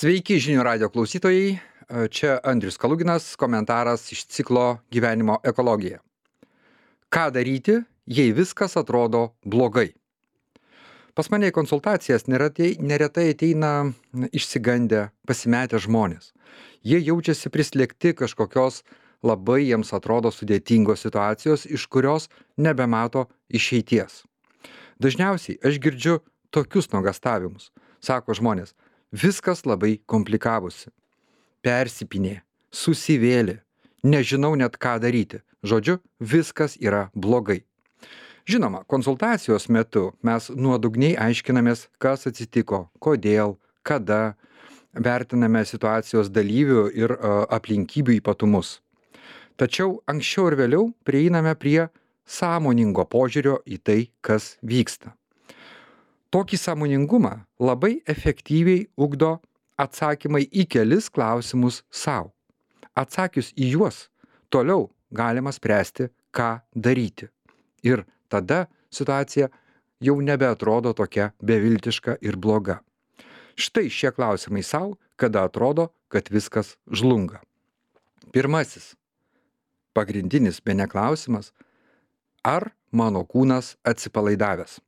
Sveiki žinių radio klausytojai, čia Andrius Kaluginas, komentaras iš ciklo Gyvenimo ekologija. Ką daryti, jei viskas atrodo blogai? Pas mane į konsultacijas neretai ateina išsigandę, pasimetę žmonės. Jie jaučiasi prislėgti kažkokios labai jiems atrodo sudėtingos situacijos, iš kurios nebemato išeities. Dažniausiai aš girdžiu tokius nuogąstavimus. Sako žmonės, viskas labai komplikavosi. Persipynė, susivėlė, nežinau net ką daryti. Žodžiu, viskas yra blogai. Žinoma, konsultacijos metu mes nuodugniai aiškinamės, kas atsitiko, kodėl, kada, vertiname situacijos dalyvių ir aplinkybių ypatumus. Tačiau anksčiau ir vėliau prieiname prie sąmoningo požiūrio į tai, kas vyksta. Tokį sąmoningumą labai efektyviai ugdo atsakymai į kelis klausimus sau. Atsakius į juos, toliau galima spręsti, ką daryti. Ir tada situacija jau nebeatrodo tokia beviltiška ir bloga. Štai šie klausimai sau, kada atrodo, kad viskas žlunga. Pirmasis, pagrindinis bene klausimas, ar mano kūnas atsipalaidavęs?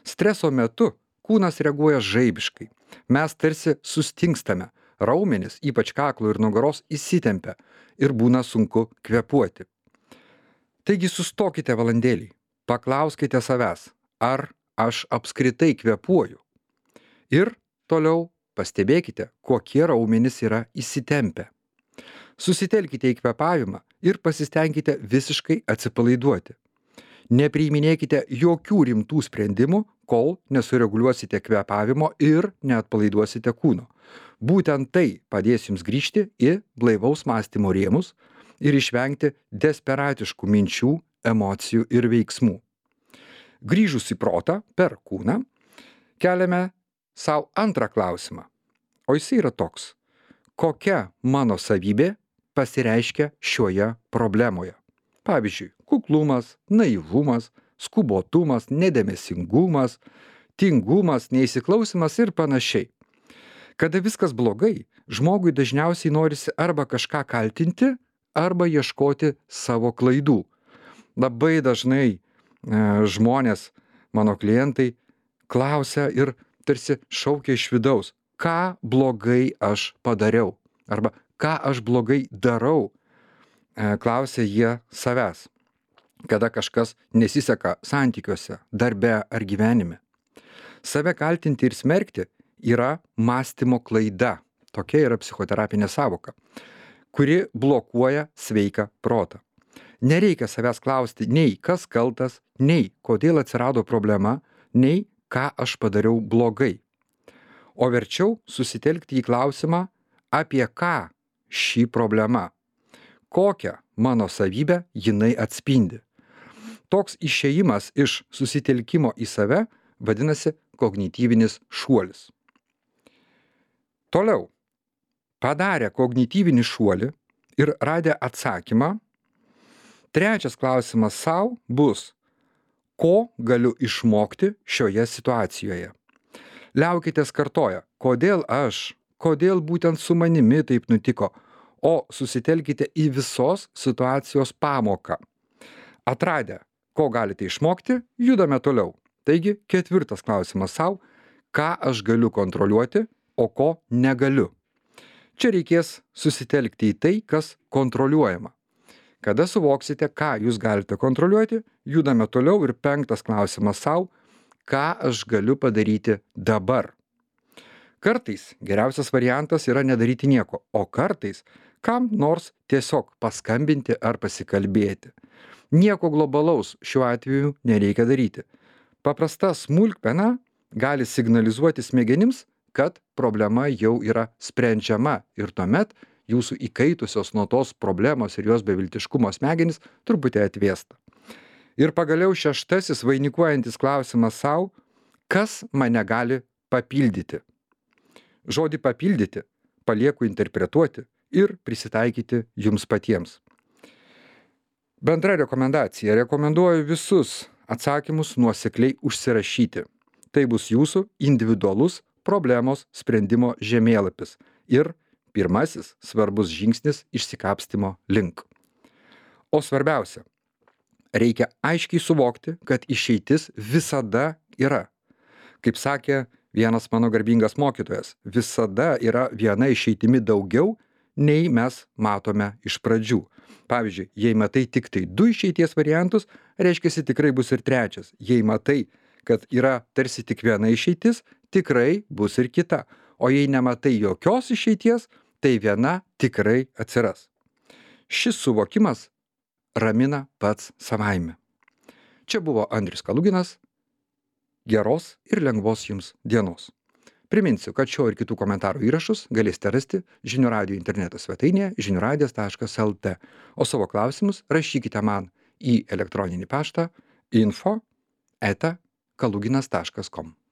Streso metu kūnas reaguoja žaibiškai. Mes tarsi sustingstame, raumenys, ypač kaklo ir nugaros, įsitempia ir būna sunku kvėpuoti. Taigi sustokite valandėlį, paklauskite savęs, ar aš apskritai kvėpuoju. Ir toliau pastebėkite, kokie raumenys yra įsitempę. Susitelkite į kvėpavimą ir pasistengkite visiškai atsipalaiduoti. Nepriiminėkite jokių rimtų sprendimų, kol nesureguliuosite kvėpavimo ir neatpalaiduosite kūno. Būtent tai padės jums grįžti į blaivaus mąstymo rėmus ir išvengti desperatiškų minčių, emocijų ir veiksmų. Grįžus į protą per kūną, keliame sau antrą klausimą. O jis yra toks: kokia mano savybė pasireiškia šioje problemoje? Pavyzdžiui, kuklumas, naivumas, skubotumas, nedėmesingumas, tingumas, neįsiklausimas ir panašiai. Kada viskas blogai, žmogui dažniausiai norisi arba kažką kaltinti, arba ieškoti savo klaidų. Labai dažnai žmonės, mano klientai, klausia ir tarsi šaukia iš vidaus, ką blogai aš padariau, arba ką aš blogai darau. Klausia jie savęs, kada kažkas nesiseka santykiuose, darbe ar gyvenime. Save kaltinti ir smerkti yra mąstymo klaida, tokia yra psichoterapinė sąvoka, kuri blokuoja sveiką protą. Nereikia savęs klausti nei kas kaltas, nei kodėl atsirado problema, nei ką aš padariau blogai. O verčiau susitelkti į klausimą, apie ką ši problema. Kokią mano savybę jinai atspindi. Toks išėjimas iš susitelkimo į save vadinasi kognityvinis šuolis. Toliau, padarę kognityvinį šuolį ir radę atsakymą, trečias klausimas sau bus, ko galiu išmokti šioje situacijoje. Liaukitės kartoja, kodėl aš, kodėl būtent su manimi taip nutiko, o susitelkite į visos situacijos pamoką. Atradę, ko galite išmokti, judame toliau. Taigi, ketvirtas klausimas sau, ką aš galiu kontroliuoti, o ko negaliu. Čia reikės susitelkti į tai, kas kontroliuojama. Kada suvoksite, ką jūs galite kontroliuoti, judame toliau ir penktas klausimas sau, ką aš galiu padaryti dabar. Kartais geriausias variantas yra nedaryti nieko, o kartais kam nors tiesiog paskambinti ar pasikalbėti. Nieko globalaus šiuo atveju nereikia daryti. Paprasta smulkmena gali signalizuoti smegenims, kad problema jau yra sprendžiama ir tuomet jūsų įkaitusios nuo tos problemos ir jos beviltiškumo smegenys truputį atvėsta. Ir pagaliau šeštasis vainikuojantis klausimas sau, kas mane gali papildyti. Žodį papildyti palieku interpretuoti ir prisitaikyti jums patiems. Bendra rekomendacija. Rekomenduoju visus atsakymus nuosekliai užsirašyti. Tai bus jūsų individualus problemos sprendimo žemėlapis ir pirmasis svarbus žingsnis išsikapstymo link. O svarbiausia, reikia aiškiai suvokti, kad išeitis visada yra. Kaip sakė vienas mano garbingas mokytojas, visada yra viena išeitimi daugiau, nei mes matome iš pradžių. Pavyzdžiui, jei matai tik tai 2 išeities variantus, reiškiasi tikrai bus ir trečias. Jei matai, kad yra tarsi tik viena išeitis, tikrai bus ir kita. O jei nematai jokios išeities, tai viena tikrai atsiras. Šis suvokimas ramina pats savaime. Čia buvo Andrius Kaluginas. Geros ir lengvos jums dienos. Priminsiu, kad šio ir kitų komentarų įrašus galėsite rasti Žinių radijo interneto svetainėje žiniųradijas.lt, o savo klausimus rašykite man į elektroninį paštą info@kaluginas.com.